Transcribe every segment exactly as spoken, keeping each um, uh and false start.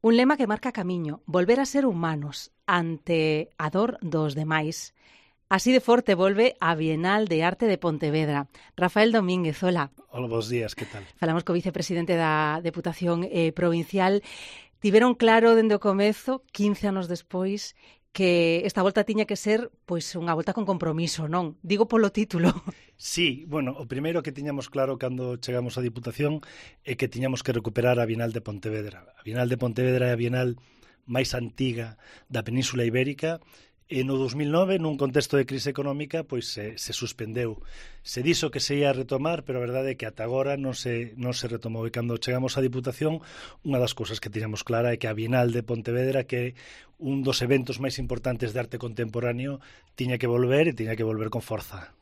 Un lema que marca camiño, volver a ser humanos ante a dor dos demais. Así de forte volve a Bienal de Arte de Pontevedra. Rafael Domínguez, hola. Hola, bons días, que tal? Falamos co vicepresidente da Deputación eh, Provincial. Tiveron claro dende o comezo, quince anos despois, que esta volta tiña que ser pois unha volta con compromiso, non? Digo polo título. Sí, bueno, o primeiro que tiñamos claro cando chegamos á Diputación é que tiñamos que recuperar a Bienal de Pontevedra. A Bienal de Pontevedra é a Bienal máis antiga da Península Ibérica e no dos mil nove, nun contexto de crise económica, pois se, se suspendeu. Se dixo que se ia retomar, pero a verdade é que ata agora non se, non se retomou. E cando chegamos á Diputación, unha das cousas que tiñamos clara é que a Bienal de Pontevedra, que é un dos eventos máis importantes de arte contemporáneo, tiña que volver e tiña que volver con forza.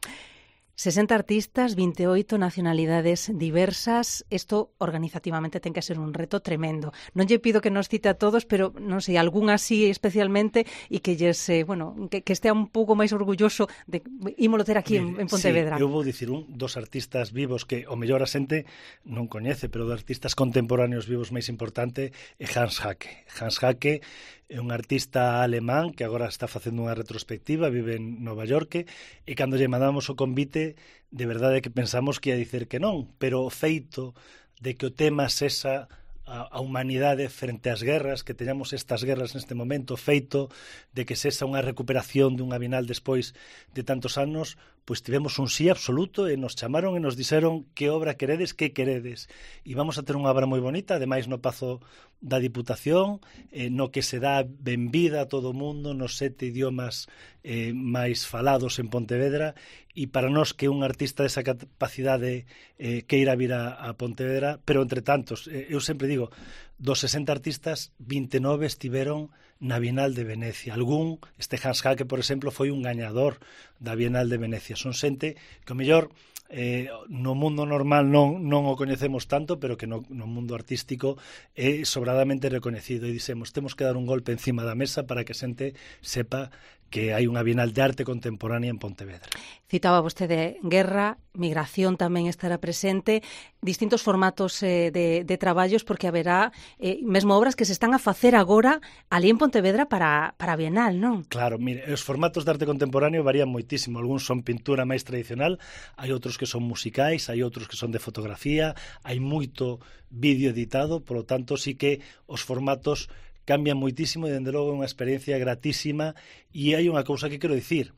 sesenta artistas, vinte e oito nacionalidades diversas. Isto organizativamente ten que ser un reto tremendo. Non lle pido que nos cite a todos, pero non sei, algún así especialmente e que lles, eh, bueno, que, que estea un pouco máis orgulloso de ímolo ter aquí en, en Pontevedra. Sí, eu vou dicir un dos artistas vivos que o mellor a xente non coñece, pero dos artistas contemporáneos vivos máis importante é Hans Haacke. Hans Haacke é un artista alemán que agora está facendo unha retrospectiva, vive en Nova York, e cando lle mandamos o convite, de verdade que pensamos que ia dicir que non, pero o feito de que o tema sesa a, a humanidade frente ás guerras, que teñamos estas guerras neste momento, feito de que sesa unha recuperación dunha Bienal despois de tantos anos, pois tivemos un sí absoluto e nos chamaron e nos dixeron que obra queredes, que queredes. E vamos a ter unha obra moi bonita, ademais no Pazo da Diputación, eh, no que se dá benvida a todo o mundo nos sete idiomas eh, máis falados en Pontevedra, e para nós que un artista desa capacidade eh, queira vir a, a Pontevedra, pero entre tantos, eh, eu sempre digo, dos sesenta artistas, vinte e nove estiveron na Bienal de Venecia. Algún, este Hans Haacke, por exemplo, foi un gañador da Bienal de Venecia. Son xente que o mellor eh, no mundo normal non, non o coñecemos tanto, pero que no, no mundo artístico é sobradamente recoñecido. E dixemos, temos que dar un golpe encima da mesa para que a xente sepa que hai unha Bienal de Arte Contemporánea en Pontevedra. Citaba vostede guerra, migración tamén estará presente, distintos formatos eh, de, de traballos, porque haberá eh, mesmo obras que se están a facer agora ali en Pontevedra para, para a Bienal, non? Claro, mire, os formatos de arte contemporáneo varían moitísimo. Algúns son pintura máis tradicional, hai outros que son musicais, hai outros que son de fotografía, hai moito vídeo editado, polo tanto, sí que os formatos cambian moitísimo e, dende logo, é unha experiencia gratísima. E hai unha cousa que quero dicir: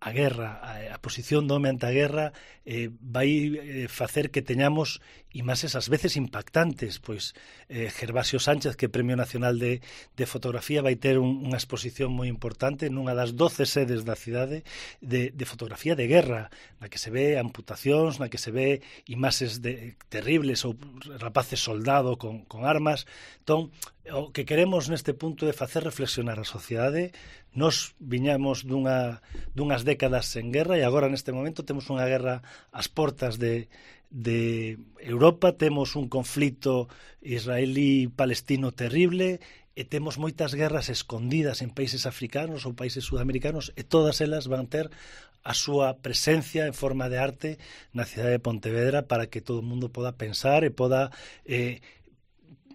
a guerra, a, a posición do home ante a guerra eh, vai eh, facer que teñamos imaxes ás veces impactantes. Pois eh, Gervasio Sánchez, que é Premio Nacional de, de Fotografía, vai ter un, unha exposición moi importante nunha das doce sedes da cidade de, de fotografía de guerra, na que se ve amputacións, na que se ve imaxes de, terribles, ou rapaces soldado con, con armas. Entón, o que queremos neste punto é facer reflexionar a sociedade. Nos viñamos dunha, dunhas décadas en guerra e agora neste momento temos unha guerra ás portas de, de Europa, temos un conflito israelí-palestino terrible e temos moitas guerras escondidas en países africanos ou países sudamericanos, e todas elas van ter a súa presencia en forma de arte na cidade de Pontevedra para que todo o mundo poda pensar e poda eh,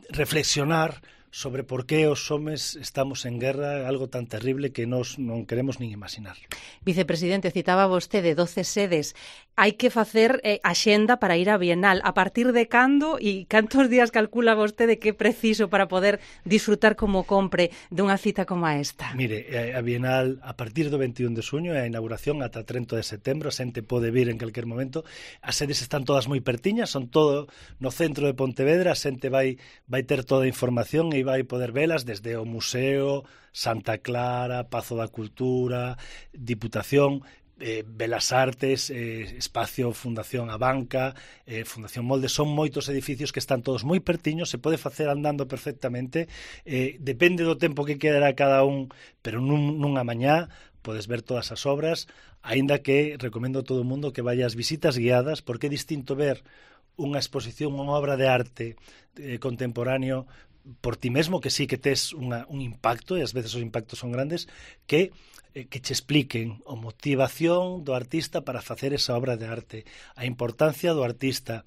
reflexionar sobre por que os homes estamos en guerra, algo tan terrible que nos non queremos nin imaginar. Vicepresidente, citaba vostede doce sedes. Hai que facer eh, axenda para ir á Bienal. A partir de cando e cantos días calcula vostede que é preciso para poder disfrutar como compre dunha cita como esta? Mire, a Bienal a partir do veintiún de xuño é a inauguración ata trinta de setembro, a xente pode vir en calquer momento. As sedes están todas moi pertiñas, son todo no centro de Pontevedra, a xente vai, vai ter toda a información e vai poder velas desde o Museo, Santa Clara, Pazo da Cultura, Diputación, eh, Belas Artes, eh, Espacio Fundación A Banca, eh, Fundación Molde. Son moitos edificios que están todos moi pertiños, se pode facer andando perfectamente, eh, depende do tempo que quedará cada un, pero nun, nunha mañá podes ver todas as obras, aínda que recomendo a todo o mundo que vaya ás visitas guiadas, porque é distinto ver unha exposición, unha obra de arte eh, contemporáneo por ti mesmo, que sí que tes unha, un impacto, e ás veces os impactos son grandes, que, eh, que che expliquen a motivación do artista para facer esa obra de arte, a importancia do artista,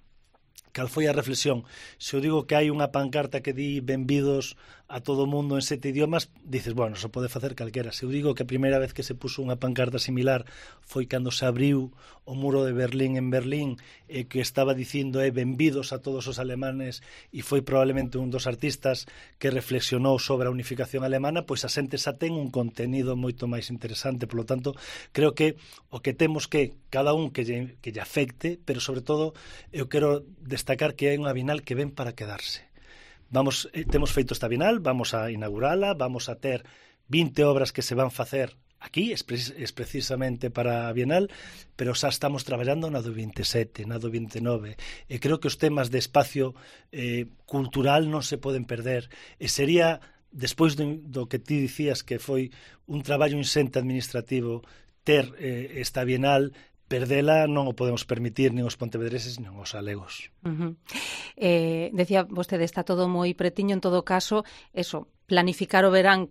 cal foi a reflexión? Se eu digo que hai unha pancarta que di benvidos a todo o mundo en sete idiomas, dices, bueno, só pode facer calquera. Se eu digo que a primeira vez que se puso unha pancarta similar foi cando se abriu o muro de Berlín en Berlín, e que estaba dicindo é benvidos a todos os alemanes, e foi probablemente un dos artistas que reflexionou sobre a unificación alemana, pois a xente xa ten un contenido moito máis interesante. Por lo tanto, creo que o que temos que cada un que lle, que lle afecte, pero sobre todo eu quero destacar que é unha Bienal que ven para quedarse. Vamos, eh, temos feito esta Bienal, vamos a inaugurala, vamos a ter vinte obras que se van facer aquí, es, es precisamente para a Bienal, pero xa estamos traballando na do veintisiete, na do vinte e nove, e creo que os temas de espacio eh, cultural non se poden perder, e sería, despois do, do que ti dicías que foi un traballo insente administrativo ter eh, esta Bienal, perdela non o podemos permitir nin os pontevedreses nin os galegos. Uh-huh. Eh, decía vostede, está todo moi pretiño, en todo caso, eso, planificar o verán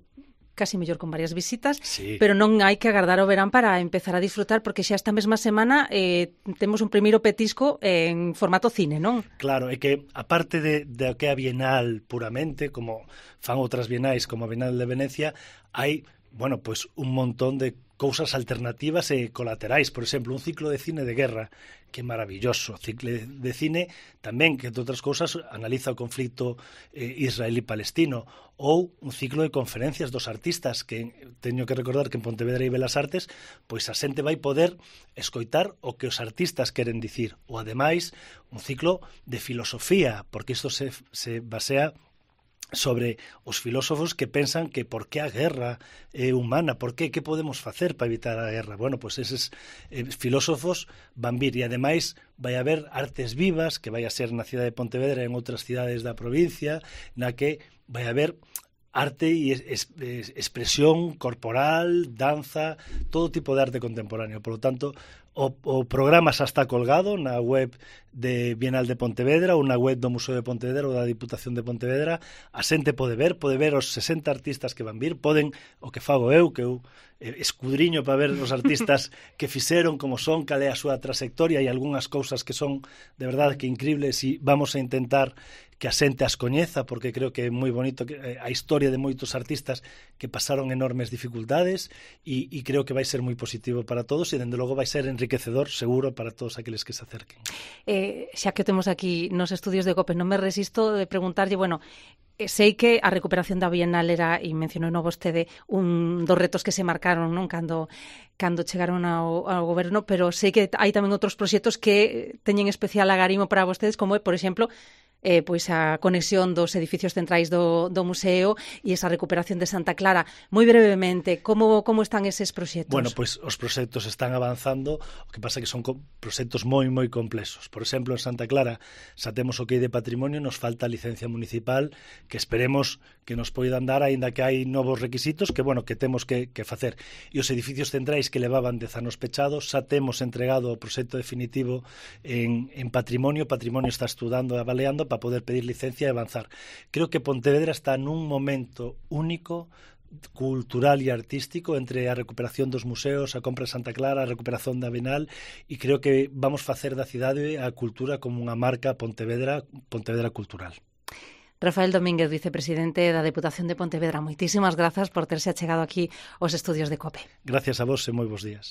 casi mellor con varias visitas, sí. Pero non hai que agardar o verán para empezar a disfrutar, porque xa esta mesma semana eh, temos un primeiro petisco en formato cine, non? Claro, é que aparte de, de que a Bienal puramente, como fan outras bienais como a Bienal de Venecia, hai, bueno, pois un montón de cousas alternativas e colaterais. Por exemplo, un ciclo de cine de guerra, que é maravilloso. Ciclo de cine tamén, que, entre outras cousas, analiza o conflito eh, israelí-palestino. Ou un ciclo de conferencias dos artistas, que teño que recordar que en Pontevedra hai Belas Artes, pois a xente vai poder escoitar o que os artistas queren dicir. Ou, ademais, un ciclo de filosofía, porque isto se, se basea sobre os filósofos que pensan que por que a guerra é humana, por que, que podemos facer para evitar a guerra. Bueno, pois pues eses eh, filósofos van vir, e ademais vai haber artes vivas, que vai a ser na cidade de Pontevedra e en outras cidades da provincia, na que vai haber arte e es, es, expresión corporal, danza, todo tipo de arte contemporáneo. Por lo tanto, o, o programa xa está colgado na web de Bienal de Pontevedra ou na web do Museo de Pontevedra ou da Diputación de Pontevedra. A xente pode ver, pode ver os sesenta artistas que van vir, poden, o que fago eu, que eu eh, escudriño para ver os artistas que fixeron, como son, cal é a súa trayectoria, e algunhas cousas que son de verdade que increíbles, e vamos a intentar que a xente as coñeza, porque creo que é moi bonito que, eh, a historia de moitos artistas que pasaron enormes dificultades, e, e creo que vai ser moi positivo para todos, e dende logo vai ser enriquecedor, seguro, para todos aqueles que se acerquen. Eh, xa que temos aquí nos estudios de COPE, non me resisto de preguntarlle, bueno, sei que a recuperación da Bienal era, e mencionou no vostede, un dos retos que se marcaron, non, cando cando chegaron ao, ao goberno, pero sei que hai tamén outros proxectos que teñen especial agarimo para vostedes, como é, por exemplo, eh, pois a conexión dos edificios centrais do, do museo e esa recuperación de Santa Clara. Moi brevemente, como, como están eses proxectos? Bueno, pois os proxectos están avanzando, o que pasa que son proxectos moi, moi complexos. Por exemplo, en Santa Clara xa temos o que hai de patrimonio, nos falta a licencia municipal, que esperemos que nos poidan dar, aínda que hai novos requisitos que, bueno, que temos que, que facer. E os edificios centrais que levaban dez anos pechados, xa temos entregado o proxecto definitivo en, en patrimonio. Patrimonio está estudando e avaliando para poder pedir licencia e avanzar. Creo que Pontevedra está nun momento único cultural e artístico entre a recuperación dos museos, a compra de Santa Clara, a recuperación da Bienal, e creo que vamos facer da cidade a cultura como unha marca Pontevedra, Pontevedra cultural. Rafael Domínguez, vicepresidente da Deputación de Pontevedra, moitísimas grazas por terse achegado aquí aos estudios de COPE. Gracias a vos e moi bons días.